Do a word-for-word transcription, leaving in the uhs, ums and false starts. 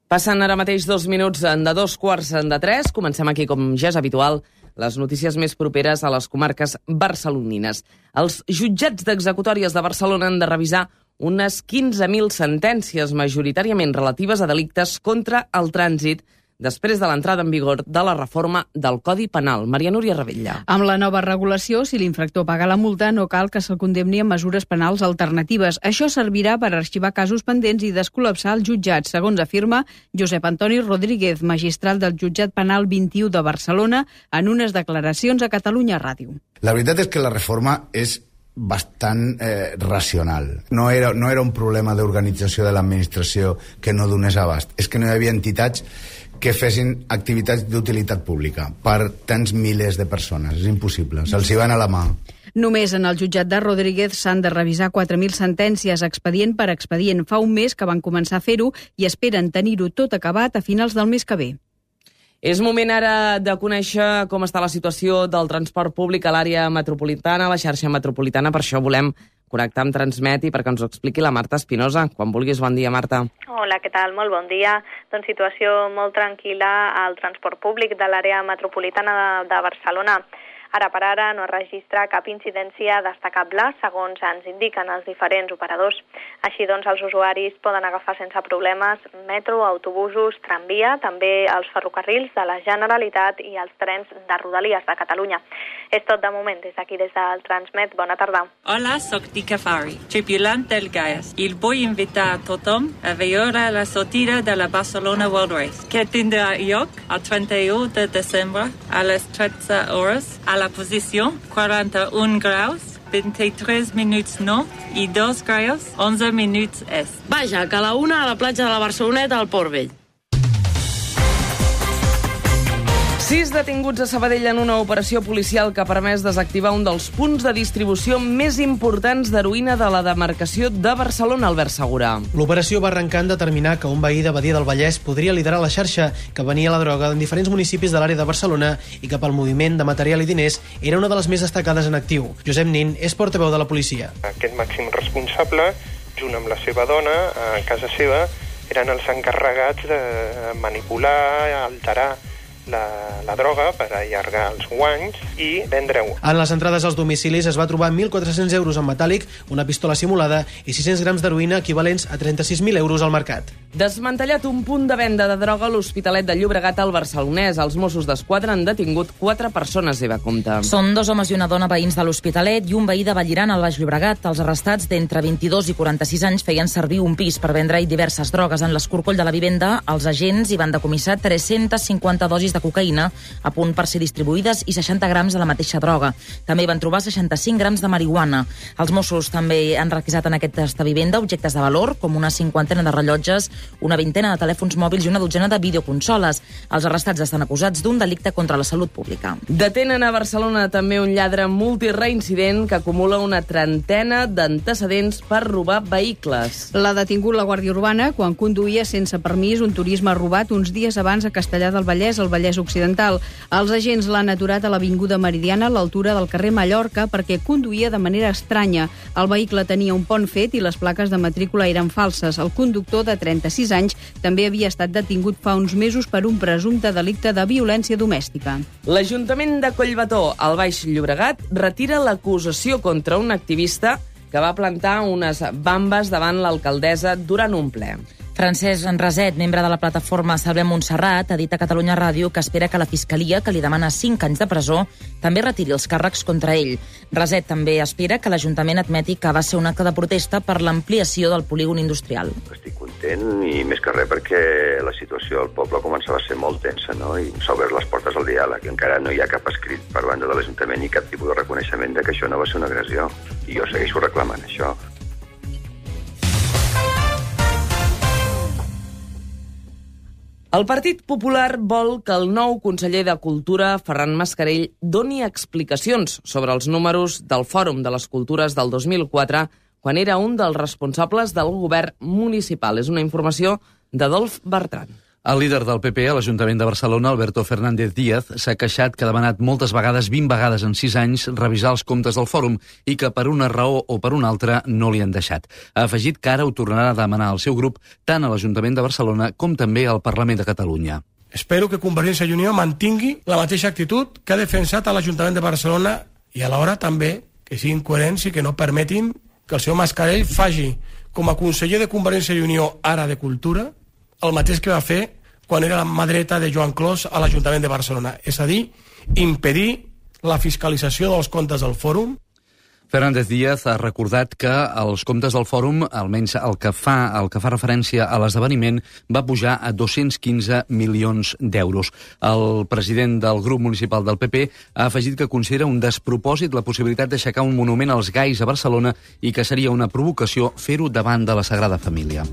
Passen ara mateix dos minuts de dos quarts de tres. Comencem aquí, com ja és habitual, les notícies més properes a les comarques barcelonines. Els jutjats d'executòries de Barcelona han de revisar unes quinze mil sentències, majoritàriament relatives a delictes contra el trànsit, després de l'entrada en vigor de la reforma del Codi Penal. Maria Núria Ravella. Amb la nova regulació, si l'infractor paga la multa, no cal que se'l condemni amb mesures penals alternatives. Això servirà per arxivar casos pendents i descol·lapsar el jutjat, segons afirma Josep Antoni Rodríguez, magistral del Jutjat Penal vint-i-u de Barcelona, en unes declaracions a Catalunya Ràdio. La veritat és que la reforma és bastant eh, racional. No era, no era un problema d'organització de l'administració que no donés abast. És que no hi havia entitats que fessin activitats d'utilitat pública per tants milers de persones. És impossible. Se'ls hi van a la mà. Només en el jutjat de Rodríguez s'han de revisar quatre mil sentències expedient per expedient. Fa un mes que van començar a fer-ho i esperen tenir-ho tot acabat a finals del mes que ve. És moment ara de conèixer com està la situació del transport públic a l'àrea metropolitana, a la xarxa metropolitana. Per això volem connectar amb Transmet i perquè ens ho expliqui la Marta Espinosa. Quan vulguis, bon dia, Marta. Hola, què tal? Molt bon dia. Doncs situació molt tranquil·la al transport públic de l'àrea metropolitana de, de Barcelona. Ara per ara no es registra cap incidència destacable, segons ens indiquen els diferents operadors. Així doncs, els usuaris poden agafar sense problemes metro, autobusos, tramvia, també els ferrocarrils de la Generalitat i els trens de Rodalies de Catalunya. És tot de moment des d'aquí, des del Transmet. Bona tarda. Hola, soc Tika Fari, tripulant del Gaies. I vull invitar a tothom a veure la sortida de la Barcelona World Race, que tindrà lloc el trenta-u de desembre a les tretze hores a la posició quaranta-un graus, vint-i-tres minuts nord i dos graus, onze minuts est. Vaja, que a la una a la platja de la Barceloneta al Port Vell. Sis detinguts a Sabadell en una operació policial que ha permès desactivar un dels punts de distribució més importants d'heroïna de la demarcació de Barcelona, Albert Segura. L'operació va arrencar en determinar que un veí de Badia del Vallès podria liderar la xarxa que venia la droga en diferents municipis de l'àrea de Barcelona i que pel moviment de material i diners era una de les més destacades en actiu. Josep Nin és portaveu de la policia. Aquest màxim responsable, junt amb la seva dona, a casa seva, eren els encarregats de manipular, alterar La, la droga per allargar els guanys i vendre-ho. En les entrades als domicilis es va trobar mil quatre-cents euros en metàl·lic, una pistola simulada i sis-cents grams d'heroïna equivalents a trenta-sis mil euros al mercat. Desmantellat un punt de venda de droga a l'Hospitalet de Llobregat al Barcelonès. Els Mossos d'Esquadra han detingut quatre persones, Eva Compte. Són dos homes i una dona veïns de l'Hospitalet i un veí de Vallirana al Baix Llobregat. Els arrestats d'entre vint-i-dos i quaranta-sis anys feien servir un pis per vendre-hi diverses drogues. En l'escorcoll de la vivenda, els agents hi van decomissar tres-centes cinquanta dosis de cocaïna a punt per ser distribuïdes i seixanta grams de la mateixa droga. També van trobar seixanta-cinc grams de marihuana. Els Mossos també han requisat en aquesta vivenda objectes de valor, com una cinquantena de rellotges, una vintena de telèfons mòbils i una dotzena de videoconsoles. Els arrestats estan acusats d'un delicte contra la salut pública. Detenen a Barcelona també un lladre multireincident que acumula una trentena d'antecedents per robar vehicles. L'ha detingut la Guàrdia Urbana quan conduïa sense permís un turisme robat uns dies abans a Castellar del Vallès, al Vallès Occidental. Els agents l'han aturat a l'Avinguda Meridiana a l'altura del carrer Mallorca perquè conduïa de manera estranya. El vehicle tenia un pont fet i les plaques de matrícula eren falses. El conductor, de trenta-sis anys, també havia estat detingut fa uns mesos per un presumpte delicte de violència domèstica. L'Ajuntament de Collbató, al Baix Llobregat, retira l'acusació contra un activista que va plantar unes bambes davant l'alcaldessa durant un ple. Francesc Raset, membre de la plataforma Salvem Montserrat, ha dit a Catalunya Ràdio que espera que la Fiscalia, que li demana cinc anys de presó, també retiri els càrrecs contra ell. Raset també espera que l'Ajuntament admeti que va ser un acte de protesta per l'ampliació del polígon industrial. Estic content i més que res perquè la situació al poble començava a ser molt tensa, no? I s'ha obert les portes al diàleg. Encara no hi ha cap escrit per banda de l'Ajuntament ni cap tipus de reconeixement de que això no va ser una agressió. I jo segueixo reclamant això. El Partit Popular vol que el nou conseller de Cultura, Ferran Mascarell, doni explicacions sobre els números del Fòrum de les Cultures del dos mil quatre, quan era un dels responsables del govern municipal. És una informació d'Adolf Bertran. El líder del P P a l'Ajuntament de Barcelona, Alberto Fernández Díaz, s'ha queixat que ha demanat moltes vegades, vint vegades en sis anys, revisar els comptes del fòrum i que per una raó o per una altra no li han deixat. Ha afegit que ara ho tornarà a demanar al seu grup tant a l'Ajuntament de Barcelona com també al Parlament de Catalunya. Espero que Convergència i Unió mantingui la mateixa actitud que ha defensat a l'Ajuntament de Barcelona i alhora també que siguin coherents i que no permetin que el senyor Mascarell faci com a conseller de Convergència i Unió ara de Cultura el mateix que va fer quan era la mà dreta de Joan Clos a l'Ajuntament de Barcelona, és a dir, impedir la fiscalització dels comptes del fòrum. Fernández Díaz ha recordat que els comptes del fòrum, almenys el que fa, el que fa referència a l'esdeveniment, va pujar a dos-cents quinze milions d'euros. El president del grup municipal del P P ha afegit que considera un despropòsit la possibilitat d'aixecar un monument als gais a Barcelona i que seria una provocació fer-ho davant de la Sagrada Família.